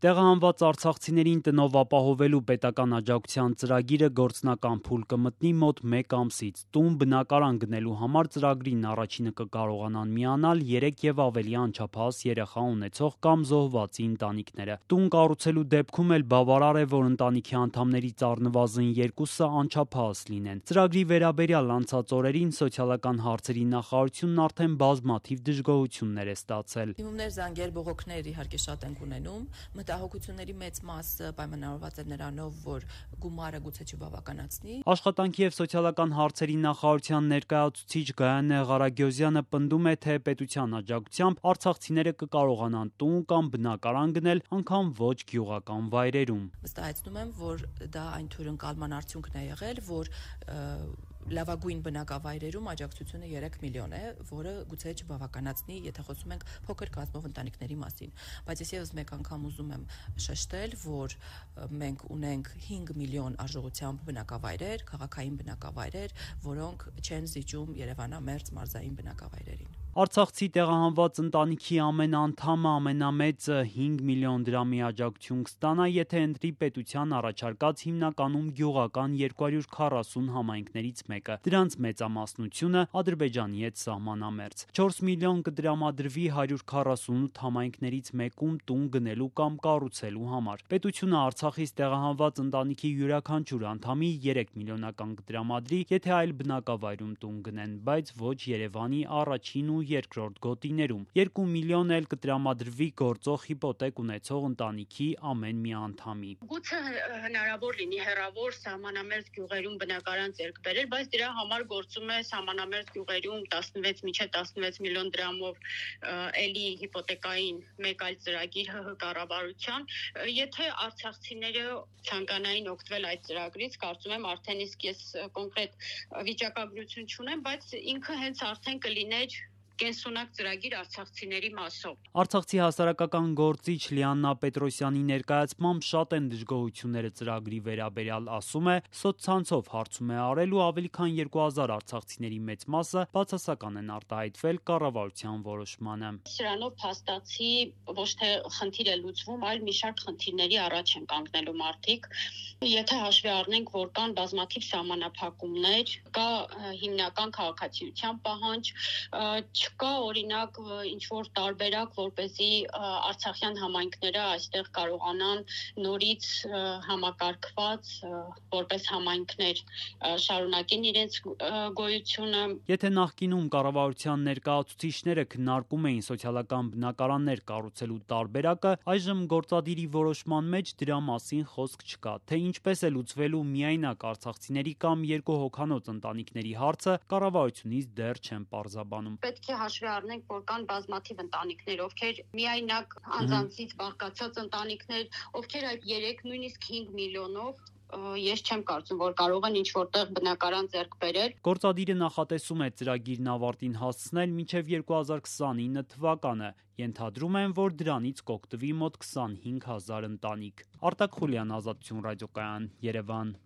Տեղահանված արցախցիներին տնով ապահովելու պետական աջակցության ծրագիրը գործնական փուլ կմտնի մոտ 1 ամսից: Տուն, բնակարան գնելու համար ծրագրին առաջինը կկարողանան միանալ 3 եւ ավելի անչափահաս երեխա ունեցող կամ զոհվածի ընտանիքները: Տուն կառուցելու դեպքում էլ բավարար է, որ ընտանիքի անդամներից առնվազն 2-ը անչափահաս լինեն: Ծրագրի վերաբերյալ անցած օրերին Սոցիալական հարցերի նախարարությունն արդեն բազմաթիվ դժգոհություններ է ստացել: Դիմումներ, զանգեր, բողոքներ իհարկե շատ ենք ունենում: Մտահոգությունների մեծ մասը պայմանավորված է նրանով, որ գումարը գուցե չբավականացնի: Աշխատանքի եւ սոցիալական հարցերի նախարարության ներկայացուցիչ Գայանե Ղարագյոզյանը պնդում է, թե պետության աջակցությամբ արցախցիները կկարողանան տուն կամ բնակարան գնել անգամ ոչ գյուղական վայրերում: Վստահեցնում եմ, որ դա այն թյուրընկալման արդյունքն է եղել, որ լավագույն բնակավայրերում աջակցությունը 3 միլիոն է, որը գուցե չբավականացնի, եթե խոսում ենք փոքր կազմով ընտանիքների մասին: Բայց ես եւս մեկ անգամ ուզում եմ շեշտել, որ մենք ունենք 5 միլիոն արժողությամբ բնակավայրեր, քաղաքային բնակավայրեր, որոնք չեն զիջում երևանամերձ մարզային բնակավայրերին: Արցախցի տեղահանված ընտանիքի ամեն անդամը ամենամեծը 5 միլիոն դրամի աջակցություն կստանա, եթե ընտրի պետության առաջարկած հիմնականում գյուղական 240 համայնքներից մեկը: Դրանց մեծամասնությունը Ադրբեջանի հետ սահմանամերձ: 4 միլիոն կտրամադրվի 148 համայնքներից մեկում տուն գնելու կամ կառուցելու համար: Պետությունը Արցախից տեղահանված ընտանիքի յուրաքանչյուր անդամի 3 միլիոնական կտրամադրի, եթե այլ բնակավայրում տուն գնեն, բայց ոչ Երևանի առաջին ու երկրորդ գոտիներում: 2 միլիոն էլ կտրամադրվի գործող հիպոթեք ունեցող ընտանիքի ամեն մի անդամի: Գուցե հնարավոր լինի հեռավոր սահմանամերձ գյուղերում բնակարան ձեռք բերել, բայց դրա համար գործում է սահմանամերձ գյուղերում 16 մինչև 16 միլիոն դրամով էլի հիպոթեկային մեկ այլ ծրագիր ՀՀ կառավարության: Եթե արցախցիները ցանկանային օգտվել այդ ծրագրից, կարծում եմ արդեն իսկ ես կոնկրետ վիճակագրություն չունեմ, բայց ինքը հենց արդեն կլիներ կենսունակ ծրագիր արցախցիների մասով: Արցախցի հասարակական գործիչ Լիաննա Պետրոսյանի ներկայացմամբ շատ են դժգոհությունները ծրագրի վերաբերյալ, ասում է, սոցցանցով հարցում է արել ու ավելի քան 2000 արցախցիների մեծ մասը բացասական են արտահայտվել կառավարության որոշմանը: Սրանով փաստացի ոչ թե խնդիր է լուծվում, այլ մի շարք խնդիրների առաջ են կանգնելու մարդիկ: Եթե հաշվի առնենք, որ կան բազմաթիվ սահմանափակումներ, կա հիմնական քաղաքացիության պահանջ, չկա օրինակ ինչ-որ տարբերակ, որպեսզի արցախյան համայնքները այստեղ կարողանան նորից համակարգված որպես համայնքներ շարունակեն իրենց գոյությունը: Եթե նախկինում կառավարության ներկայացուցիչները քննարկում էին սոցիալական բնակարաններ կառուցելու տարբերակը, այժմ գործադիրի որոշման մեջ դրա մասին խոսք չկա: Թե ինչպես է լուծվելու միայնակ արցախցիների կամ երկու հոգանոց ընտանիքների հարցը, կառավարությունից դեռ չեն պարզաբանում: Պետք է հաշվի առնենք, որ կան բազմաթիվ ընտանիքներ, ովքեր միայնակ անձանցից բաղկացած ընտանիքներ, ովքեր այդ 3, նույնիսկ 5 միլիոնով ես չեմ կարծում, որ կարող են ինչ-որտեղ բնակարան ձեռք բերել: Գործադիրը նախատեսում է ծրագիրն ավարտին հասցնել մինչև 2029 թվականը: Ենթադրում են, որ դրանից կօգտվի մոտ 25 հազար ընտանիք: Արտակ Խուլյան, Ազատություն ռադիոկայան, Երևան: